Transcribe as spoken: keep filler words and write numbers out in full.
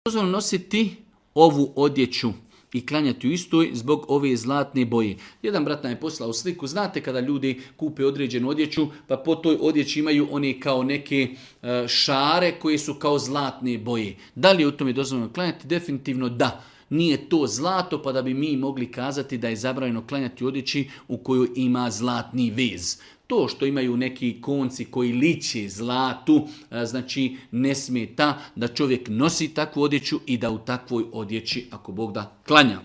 dozvoljeno nositi ovu odjeću i klanjati u istoj zbog ove zlatne boje. Jedan brat nam je poslao sliku, znate kada ljudi kupe određenu odjeću, pa po toj odjeći imaju one kao neke šare koje su kao zlatne boje. Da li je u tome dozvoljeno klanjati? Definitivno da. Nije to zlato, pa da bi mi mogli kazati da je zabranjeno klanjati u odjeći u kojoj ima zlatni vez. To što imaju neki konci koji liče zlatu, znači ne smeta da čovjek nosi takvu odjeću i da u takvoj odjeći, ako Bog da, klanja.